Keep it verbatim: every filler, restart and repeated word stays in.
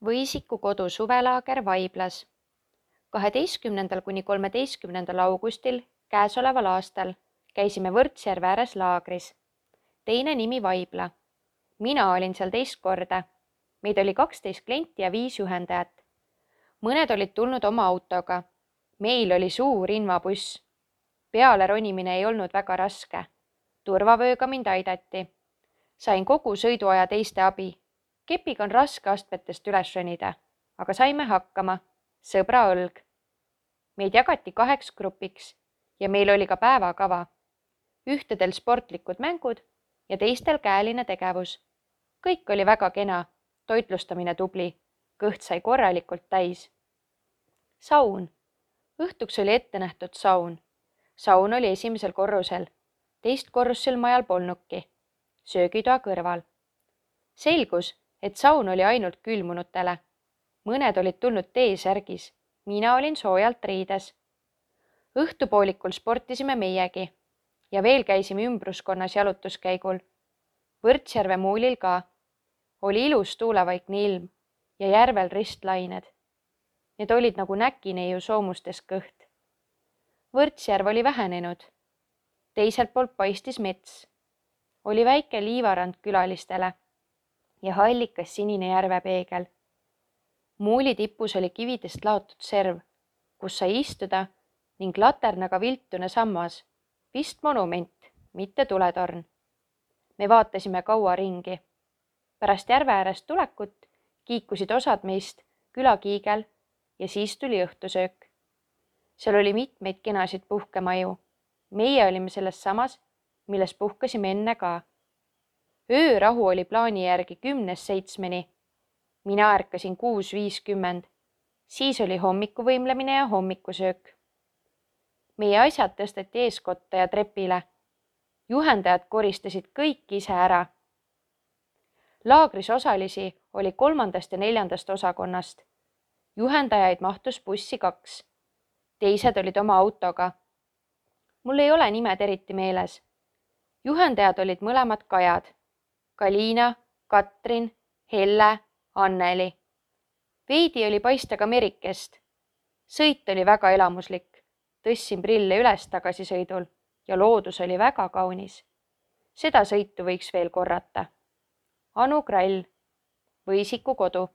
Võisiku kodu suvelaager Vaiblas. kaheteistkümnendal kuni kolmeteistkümnendal augustil käesoleval aastal käisime Võrtsjärve ääres laagris. Teine nimi Vaibla. Mina olin seal teist korda. Meid oli kaksteist klienti ja viis juhendajat. Mõned olid tulnud oma autoga. Meil oli suur invabuss. Peale ronimine ei olnud väga raske. Turvavööga mind aidati. Sain kogu sõiduaja teiste abi. Kepiga on raske astmetest üles ronida, aga saime hakkama. Sõbra õlg. Meid jagati kaheks grupiks ja meil oli ka päevakava. Ühtedel sportlikud mängud ja teistel käeline tegevus. Kõik oli väga kena, toitlustamine tubli, kõht sai korralikult täis. Saun. Õhtuks oli ette nähtud saun. Saun oli esimesel korrusel. Teist korrusel majal polnudki. Söögitoa kõrval. Selgus, et saun oli ainult külmunutele. Mõned olid tulnud T-särgis. Mina olin soojalt riides. Õhtupoolikul sportisime meiegi ja veel käisime ümbruskonnas jalutuskäigul. Võrtsjärve muulil ka. Oli ilus tuulevaikne ilm ja järvel ristlained. Need olid nagu näkineiu soomustes kõht. Võrtsjärv oli vähenenud. Teiselt poolt paistis mets. Oli väike liivarand külalistele ja hallikas sinine järvepeegel. Muuli tipus oli kividest laotud serv, kus sai istuda ning laternaga viltune sammas, vist monument, mitte tuletorn. Me vaatasime kaua ringi. Pärast järve äärest tulekut kiikusid osad meist külakiigel ja siis tuli õhtusöök. Seal oli mitmeid kenasid puhkemaju. Meie olime selles samas, milles puhkasime enne ka. Öörahu oli plaani järgi kümnes seitsmeni. Mina ärkasin kuus viiskümmend. Siis oli hommikuvõimlemine ja hommikusöök. Meie asjad tõsteti eeskotta ja trepile. Juhendajad koristasid kõik ise ära. Laagris osalisi oli kolmandast ja neljandast osakonnast. Juhendajaid mahtus bussi kaks. Teised olid oma autoga. Mul ei ole nimed eriti meeles. Juhendajad olid mõlemad Kajad. Kaliina, Katrin, Helle, Anneli. Veidi oli paista ka Merikest. Sõit oli väga elamuslik. Tõssin prille üles tagasisõidul ja loodus oli väga kaunis. Seda sõitu võiks veel korrata. Anu Krall, Võisiku kodu.